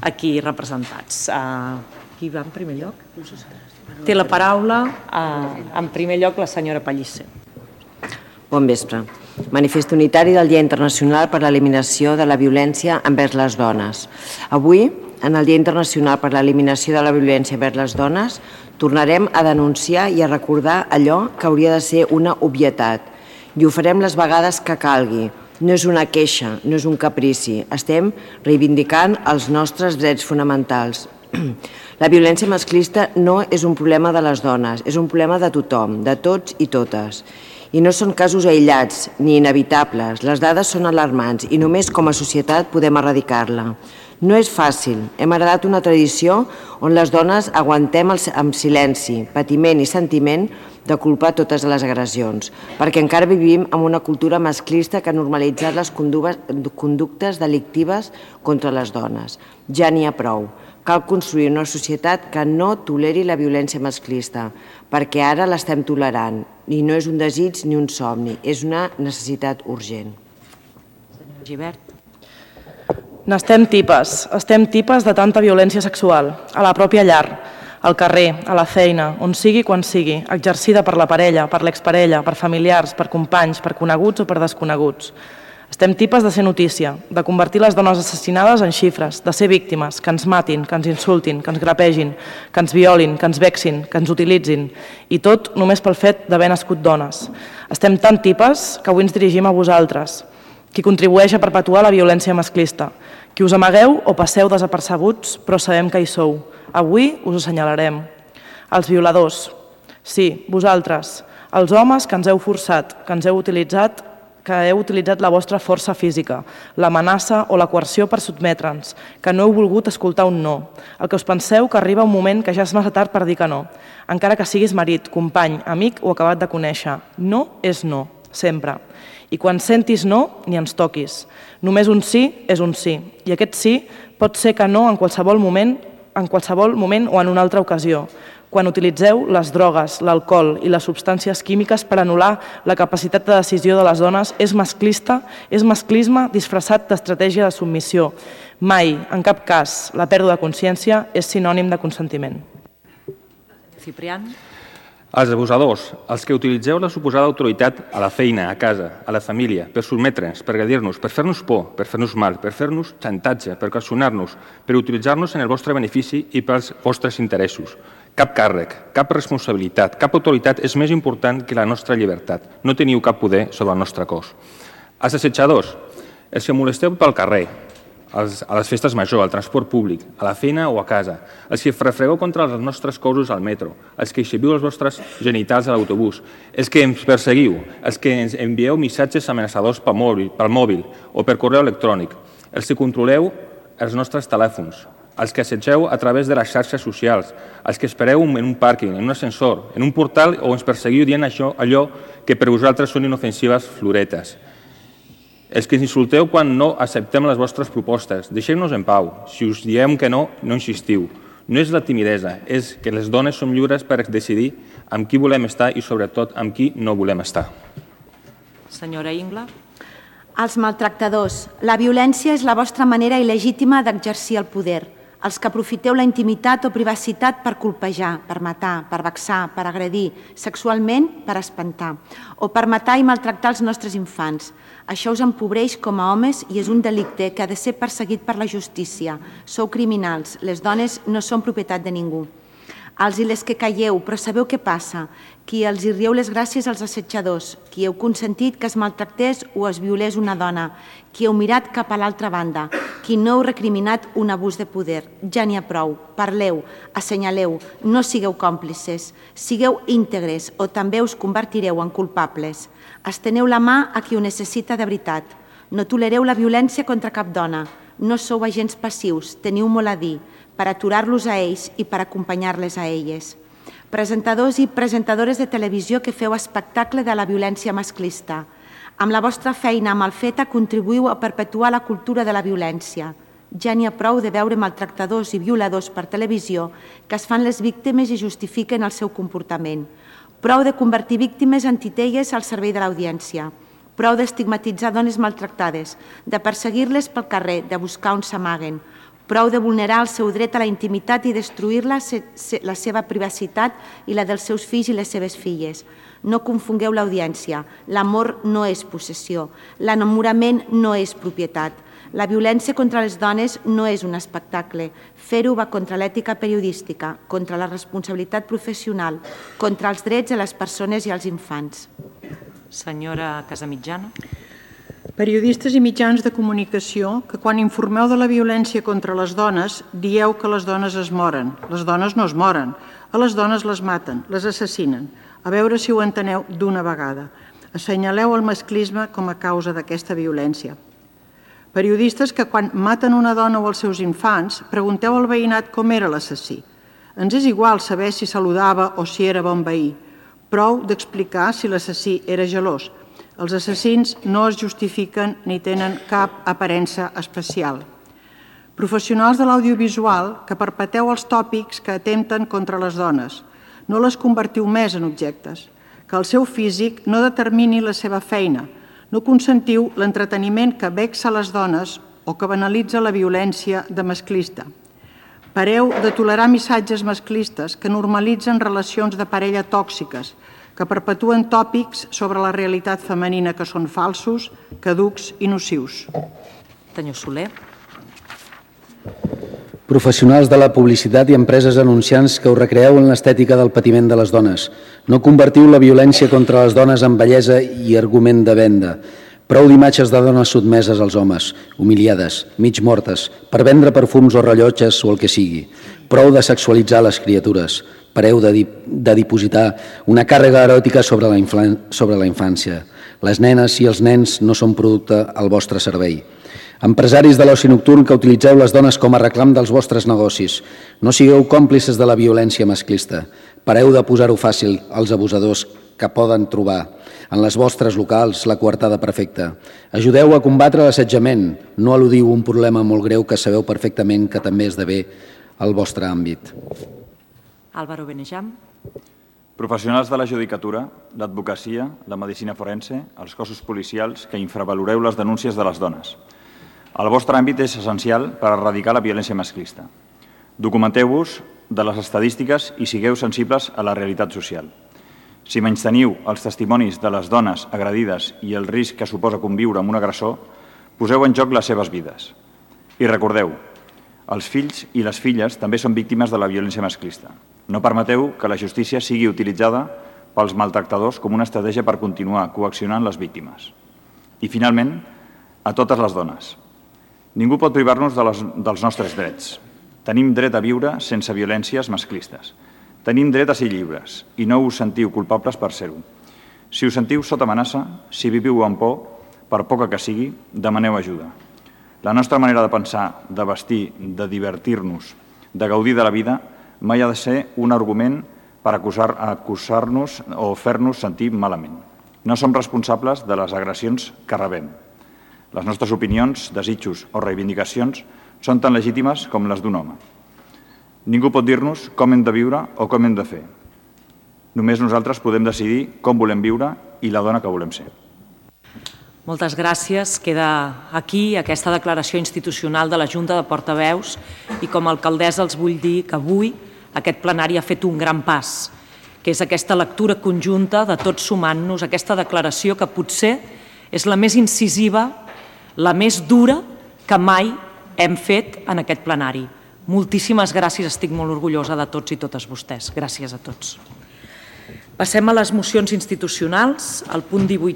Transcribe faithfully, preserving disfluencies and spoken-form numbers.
aquí representats. Qui va en primer lloc? Té la paraula, en primer lloc, la senyora Pellicer. Bon vespre. Manifest unitari del Dia Internacional per l'Eliminació de la Violència envers les Dones. Avui, en el Dia Internacional per l'Eliminació de la Violència envers les Dones, tornarem a denunciar i a recordar allò que hauria de ser una obvietat. I ho farem les vegades que calgui. No és una queixa, no és un caprici. Estem reivindicant els nostres drets fonamentals. La violència masclista no és un problema de les dones, és un problema de tothom, de tots i totes. I no són casos aïllats ni inevitables. Les dades són alarmants i només com a societat podem erradicar-la. No és fàcil. Hem heredat una tradició on les dones aguantem amb silenci, patiment i sentiment de culpar totes les agressions, perquè encara vivim en una cultura masclista que ha normalitzat les conductes delictives contra les dones. Ja n'hi ha prou. Cal construir una societat que no toleri la violència masclista, perquè ara l'estem tolerant i no és un desig ni un somni, és una necessitat urgent. Senyor Gibert. N'estem tipes, estem tipes de tanta violència sexual, a la pròpia llar, al carrer, a la feina, on sigui quan sigui, exercida per la parella, per l'exparella, per familiars, per companys, per coneguts o per desconeguts. Estem tipes de ser notícia, de convertir les dones assassinades en xifres, de ser víctimes, que ens matin, que ens insultin, que ens grapegin, que ens violin, que ens vexin, que ens utilitzin, i tot només pel fet d'haver nascut dones. Estem tan tipes que avui ens dirigim a vosaltres, qui contribueix a perpetuar la violència masclista, qui us amagueu o passeu desapercebuts, però sabem que hi sou. Avui us assenyalarem. Els violadors. Sí, vosaltres, els homes que ens heu forçat, que ens heu utilitzat, que heu utilitzat la vostra força física, l'amenaça o la coerció per sotmetre'ns, que no heu volgut escoltar un no, el que us penseu que arriba un moment que ja és massa tard per dir que no, encara que siguis marit, company, amic o acabat de conèixer. No és no, sempre. I quan sentis no, ni ens toquis. Només un sí és un sí, i aquest sí pot ser que no en qualsevol moment, en qualsevol moment o en una altra ocasió, quan utilitzeu les drogues, l'alcohol i les substàncies químiques per anul·lar la capacitat de decisió de les dones, és masclista, és masclisme disfressat d'estratègia de submissió. Mai, en cap cas, la pèrdua de consciència és sinònim de consentiment. Ciprián. Els abusadors, els que utilitzeu la suposada autoritat a la feina, a casa, a la família, per sotmetre'ns, per agredir-nos, per fer-nos por, per fer-nos mal, per fer-nos xantatge, per coaccionar-nos, per utilitzar-nos en el vostre benefici i pels vostres interessos. Cap càrrec, cap responsabilitat, cap autoritat és més important que la nostra llibertat. No teniu cap poder sobre el nostre cos. Els assetjadors, els que molesteu pel carrer, als, a les festes majors, al transport públic, a la feina o a casa, els que refregueu contra els nostres cossos al metro, els que exhibiu els vostres genitals a l'autobús, els que ens perseguiu, els que ens envieu missatges amenaçadors pel mòbil, pel mòbil o per correu electrònic, els que controleu els nostres telèfons, els que assetgeu a través de les xarxes socials, els que espereu en un pàrquing, en un ascensor, en un portal o ens perseguiu dient això, allò que per vosaltres són inofensives floretes. Els que ens insulteu quan no acceptem les vostres propostes, deixeu-nos en pau. Si us diem que no, no insistiu. No és la timidesa, és que les dones som lliures per decidir amb qui volem estar i sobretot amb qui no volem estar. Senyora Ingla. Els maltractadors. La violència és la vostra manera il·legítima d'exercir el poder. Els que aprofiteu la intimitat o privacitat per colpejar, per matar, per vexar, per agredir, sexualment per espantar, o per matar i maltractar els nostres infants. Això us empobreix com a homes i és un delicte que ha de ser perseguit per la justícia. Sou criminals, les dones no són propietat de ningú. Els i les que calleu, però sabeu què passa? Qui els hi rieu les gràcies als assetjadors, qui heu consentit que es maltractés o es violés una dona, qui heu mirat cap a l'altra banda, qui no heu recriminat un abús de poder. Ja n'hi ha prou. Parleu, assenyaleu, no sigueu còmplices, sigueu íntegres o també us convertireu en culpables. Esteneu la mà a qui ho necessita de veritat. No tolereu la violència contra cap dona. No sou agents passius, teniu molt a dir, per aturar-los a ells i per acompanyar-les a elles. Presentadors i presentadores de televisió que feu espectacle de la violència masclista. Amb la vostra feina mal feta contribuïu a perpetuar la cultura de la violència. Ja n'hi ha prou de veure maltractadors i violadors per televisió que es fan les víctimes i justifiquen el seu comportament. Prou de convertir víctimes en titelles al servei de l'audiència. Prou d'estigmatitzar dones maltractades, de perseguir-les pel carrer, de buscar on s'amaguen. Prou de vulnerar el seu dret a la intimitat i destruir-la, la seva privacitat i la dels seus fills i les seves filles. No confongueu l'audiència. L'amor no és possessió. L'enamorament no és propietat. La violència contra les dones no és un espectacle. Fer-ho va contra l'ètica periodística, contra la responsabilitat professional, contra els drets de les persones i els infants. Senyora Casamitjana. Periodistes i mitjans de comunicació que quan informeu de la violència contra les dones dieu que les dones es moren. Les dones no es moren. A les dones les maten, les assassinen. A veure si ho enteneu d'una vegada. Assenyaleu el masclisme com a causa d'aquesta violència. Periodistes que quan maten una dona o els seus infants pregunteu al veïnat com era l'assassí. Ens és igual saber si saludava o si era bon veí. Prou d'explicar si l'assassí era gelós. Els assassins no es justifiquen ni tenen cap aparença especial. Professionals de l'audiovisual que perpeteu els tòpics que atempten contra les dones. No les convertiu més en objectes. Que el seu físic no determini la seva feina. No consentiu l'entreteniment que vexa les dones o que banalitza la violència de masclista. Pareu de tolerar missatges masclistes que normalitzen relacions de parella tòxiques, que perpetuen tòpics sobre la realitat femenina que són falsos, caducs i nocius. Senyor Soler. Professionals de la publicitat i empreses anunciants que us recreeu en l'estètica del patiment de les dones. No convertiu la violència contra les dones en bellesa i argument de venda. Prou d'imatges de dones sotmeses als homes, humiliades, mig mortes, per vendre perfums o rellotges o el que sigui. Prou de sexualitzar les criatures. Pareu de, de dipositar una càrrega eròtica sobre la, sobre la infància. Les nenes i els nens no són producte al vostre servei. Empresaris de l'oci nocturn que utilitzeu les dones com a reclam dels vostres negocis. No sigueu còmplices de la violència masclista. Pareu de posar-ho fàcil als abusadors que poden trobar en les vostres locals la coartada perfecta. Ajudeu a combatre l'assetjament. No eludiu un problema molt greu que sabeu perfectament que també esdevé al vostre àmbit. Álvaro Benejam. Professionals de la judicatura, l'advocacia, la medicina forense, els cossos policials que infravaloreu les denúncies de les dones. El vostre àmbit és essencial per erradicar la violència masclista. Documenteu-vos de les estadístiques i sigueu sensibles a la realitat social. Si menysteniu els testimonis de les dones agredides i el risc que suposa conviure amb un agressor, poseu en joc les seves vides. I recordeu, els fills i les filles també són víctimes de la violència masclista. No permeteu que la justícia sigui utilitzada pels maltractadors com una estratègia per continuar coaccionant les víctimes. I, finalment, a totes les dones. Ningú pot privar-nos de les, dels nostres drets. Tenim dret a viure sense violències masclistes. Tenim dret a ser lliures i no us sentiu culpables per ser-ho. Si us sentiu sota amenaça, si viviu amb por, per poca que sigui, demaneu ajuda. La nostra manera de pensar, de vestir, de divertir-nos, de gaudir de la vida, mai ha de ser un argument per acusar, acusar-nos o fer-nos sentir malament. No som responsables de les agressions que rebem. Les nostres opinions, desitjos o reivindicacions són tan legítimes com les d'un home. Ningú pot dir-nos com hem de viure o com hem de fer. Només nosaltres podem decidir com volem viure i la dona que volem ser. Moltes gràcies. Queda aquí aquesta declaració institucional de la Junta de Portaveus i com a alcaldessa els vull dir que avui aquest plenari ha fet un gran pas, que és aquesta lectura conjunta de tots sumant-nos, aquesta declaració que potser és la més incisiva, la més dura que mai hem fet en aquest plenari. Moltíssimes gràcies, estic molt orgullosa de tots i totes vostès. Gràcies a tots. Passem a les mocions institucionals. El punt divuit